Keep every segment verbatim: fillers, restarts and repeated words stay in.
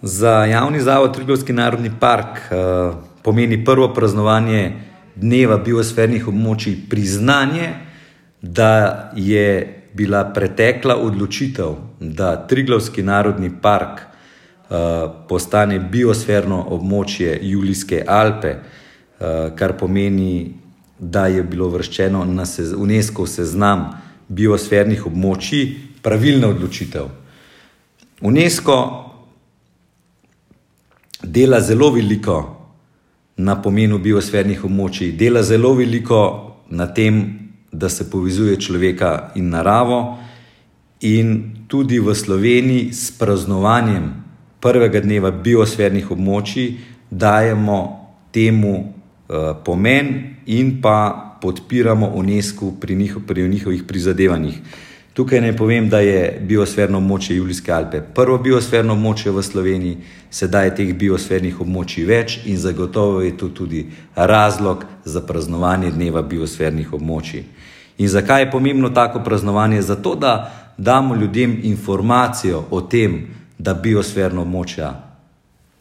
Za javni zavod Triglavski narodni park uh, pomeni prvo praznovanje dneva biosfernih območij priznanje, da je bila pretekla odločitev, da Triglavski narodni park uh, postane biosferno območje Julijske Alpe, uh, kar pomeni, da je bilo uvrščeno na sez, UNESCO seznam biosfernih območij, pravilna odločitev. UNESCO dela zelo veliko na pomenu biosfernih območij, dela zelo veliko na tem, da se povezuje človeka in naravo, in tudi v Sloveniji s praznovanjem prvega dneva biosfernih območij dajemo temu uh, pomen in pa podpiramo UNESCO pri, njih, pri njihovih prizadevanjih. Tukaj naj povem, da je biosferno območje Julijske Alpe prvo biosferno območje v Sloveniji, sedaj je teh biosfernih območij več in zagotovo je to tudi razlog za praznovanje dneva biosfernih območij. In zakaj je pomembno tako praznovanje? Zato, da damo ljudem informacijo o tem, da biosferno območja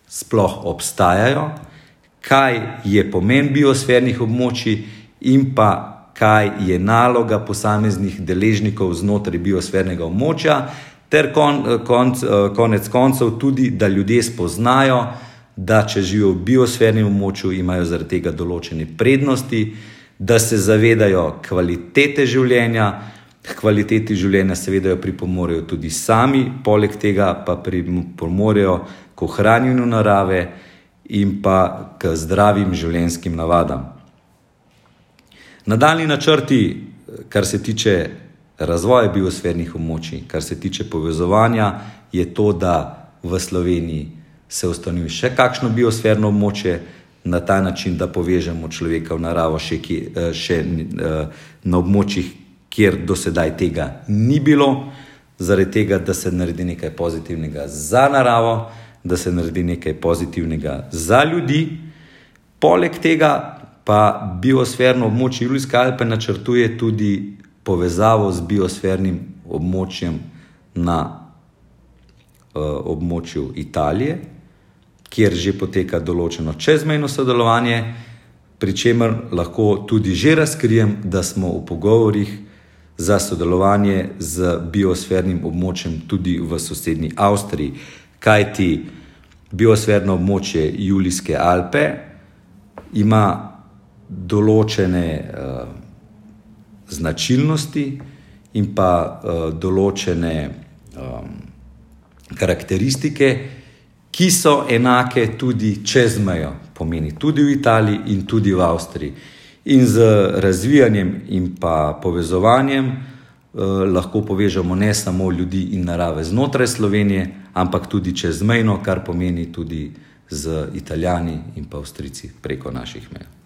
sploh obstajajo, kaj je pomen biosfernih območij in pa kaj je naloga posameznih deležnikov znotraj biosfernega območja, ter kon, konc, konec koncev tudi, da ljudje spoznajo, da če živijo v biosfernem območju, imajo zaradi tega določene prednosti, da se zavedajo kvalitete življenja, k kvaliteti življenja seveda pripomorejo tudi sami, poleg tega pa pripomorejo k ohranjanju narave in pa k zdravim življenjskim navadam. Nadaljnji načrti, kar se tiče razvoja biosfernih območij, kar se tiče povezovanja, je to, da v Sloveniji se ustanovi še kakšno biosferno območje, na ta način, da povežemo človeka v naravo še, še na območjih, kjer do sedaj tega ni bilo, zaradi tega, da se naredi nekaj pozitivnega za naravo, da se naredi nekaj pozitivnega za ljudi. Poleg tega pa biosferno območje Julijske Alpe načrtuje tudi povezavo z biosfernim območjem na uh, območju Italije, kjer že poteka določeno čezmejno sodelovanje, pri čemer lahko tudi že razkrijem, da smo v pogovorih za sodelovanje z biosfernim območjem tudi v sosednji Avstriji, kajti biosferno območje Julijske Alpe ima določene uh, značilnosti in pa uh, določene um, karakteristike, ki so enake tudi čez mejo, pomeni tudi v Italiji in tudi v Avstriji. In z razvijanjem in pa povezovanjem uh, lahko povežemo ne samo ljudi in narave znotraj Slovenije, ampak tudi čezmejno, kar pomeni tudi z Italijani in pa Avstrijci preko naših meja.